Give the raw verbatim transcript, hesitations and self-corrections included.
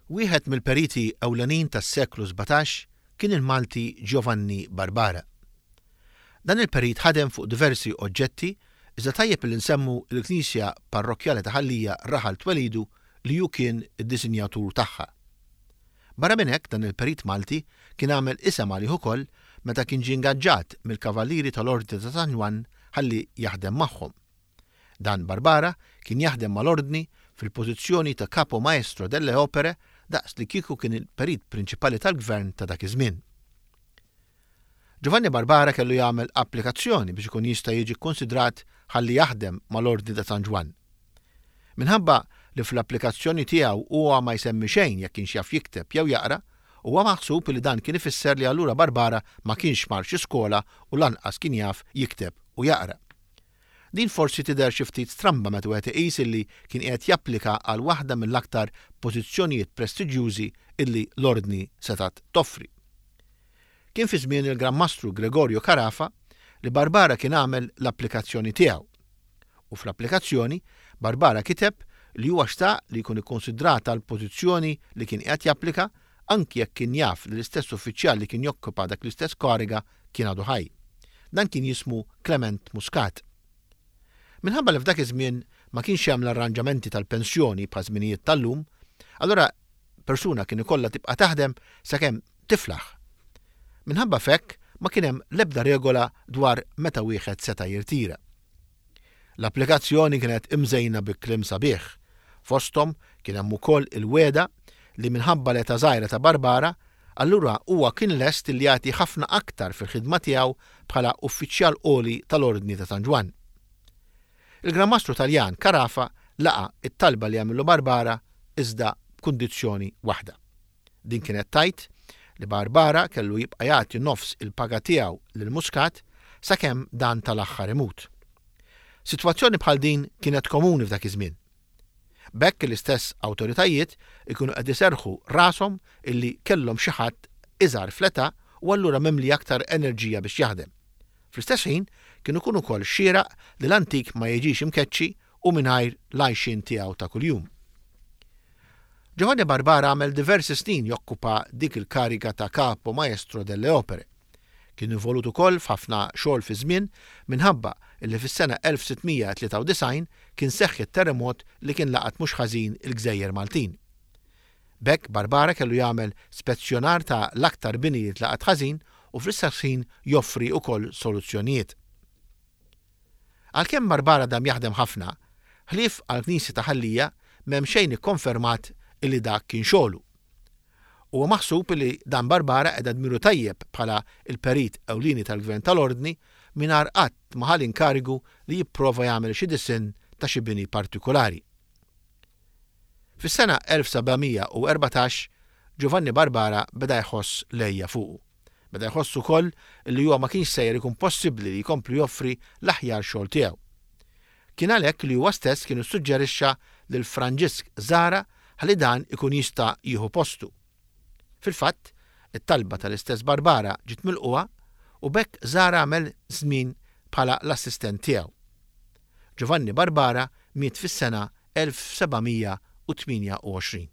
Wieħed mill-periti ewlenin tas-seklu sbatax kien il-Malti Giovanni Barbara. Dan il-perit ħadem fuq diversi oġġetti, iżda tajjeb li nsemmu l-Knisja Parrokkjali ta' Ħal Lija, raħal twelidu, li hu kien id-disinjatur tagħha. Barra minn hekk, dan il-perit Malti kien għamel isem għalih ukoll meta kien ġie ingaġġat mill-Kavallieri tal-Ordni ta' San Ġwann ħalli jaħdem magħhom. Dan Barbara kien jaħdem mal-Ordni fil-pożizzjoni ta' Capo Maestro delle Opere, daqs li kieku kien il-perit prinċipali tal-gvern ta' dak iż-żmien. Giovanni Barbara kellu jagħmel applikazzjoni biex ikun jista' jiġi kkonsidrat ħalli jaħdem mal-Ordni ta' San Ġwann. Minħabba li fl-applikazzjoni tiegħu huwa ma jsemmi xejn jekk kienx jaf jikteb jew jaqra, huwa maħsub li dan kien ifisser li allura Barbara ma kienx mar xi skola u lanqas kien jaf jikteb u jaqra. Din forsi tidher xi ftit stramba meta wieħed iqis illi kien qiegħed japplika għal waħda mill-aktar pożizzjonijiet prestiġjużi illi l-Ordni setgħet toffri. Kien fi żmien il-Gran Mastru Gregorio Carafa li Barbara kien għamel l-applikazzjoni tiegħu. U fl-applikazzjoni Barbara kiteb li huwa xtaq li jkun ikkonsidrat għal pożizzjoni li kien qiegħed japplika, anki jekk kien jaf li l-istess uffiċjal li kien jokkupa dak l-istess kariga kien għadu ħaj. Dan kien jismu Clement Muscat. Minħabba li f'dak iż-żmien ma kienx hemm l-arranġamenti tal-pensjoni bħal żminijiet tal-lum, allura persuna kien ikollha tibqa' taħdem sakemm tiflaħ. Minħabba f'hekk ma kien hemm l-ebda regola dwar meta wieħed seta' jirtira. L-applikazzjoni kienet imżejna bi kliem sabiħ. Fosthom kien hemm ukoll il-wegħda li minħabba l-età żgħira ta' Barbara, allura huwa kien lest li jagħti ħafna aktar fil-ħidma tiegħu bħala uffiċjal għoli tal-Ordni ta' San Ġwann. Il-Gran Mastru Taljan Carafa laqa it-talba li għamillu Barbara, iżda b'kundizzjoni waħda. Din kienet tgħid li Barbara kellu jibqa' jagħti nofs il-paga tiegħu lil Muscat sakemm dan tal-aħħar imut. Sitwazzjoni bħal din kienet komuni f'dak iż-żmien. B'hekk l-istess awtoritajiet ikunu qed iserrħu rashom illi kellhom xi ħadd iżgħar fl-età u allura mimli aktar enerġija biex jaħdem. Fl-istess ħin kien ikun ukoll xieraq li l-antik ma jiġix imkeċċi u mingħajr l-għajxien tiegħu ta' kuljum. Giovanni Barbara għamel diversi snin jokkupa dik il-kariga ta' Capo Maestro delle Opere. Kien involut ukoll f'ħafna xogħol fi żmien, minħabba illi fis-sena elf sitt mija tlieta u disgħin kien seħħ it-terremot li kien laqat mhux ħażin il-Gżejjer Maltin. B'hekk Barbara kellu jagħmel spezzjonar ta' l-aktar bini li tlaqat ħażin u fl-istess ħin joffri ukoll soluzzjonijiet. Għalkemm Barbara dam jaħdem ħafna, ħlief għall-Knisja ta' Ħal Lija m'hemm xejn ikkonfermat illi dak kien xogħlu. Huwa maħsub li dan Barbara qeda dmiru tajjeb bħala il-perit ewlieni tal-Gvern tal-Ordni mingħajr qatt ma ħa l-inkarigu li jipprova jagħmel xi disinn ta' xi bini partikolari. Fis-sena elf seba' mija u erbatax Giovanni Barbara beda jħoss l-għeja fuqu. Beda jħoss ukoll li huwa ma kienx sejjer ikun possibbli li jkompli joffri l-aħjar xogħol tiegħu. Kien għalhekk li huwa stess kien issuġġerixxa lil Franġisk Zahra ħalli dan ikun jista' jieħu postu. Fil-fatt, it-talba tal-istess Barbara ġiet milqugħa u b'hekk Zahra għamel żmien bħala l-assistent tiegħu. Giovanni Barbara miet fis-sena elf seba' mija u tmienja u għoxrin.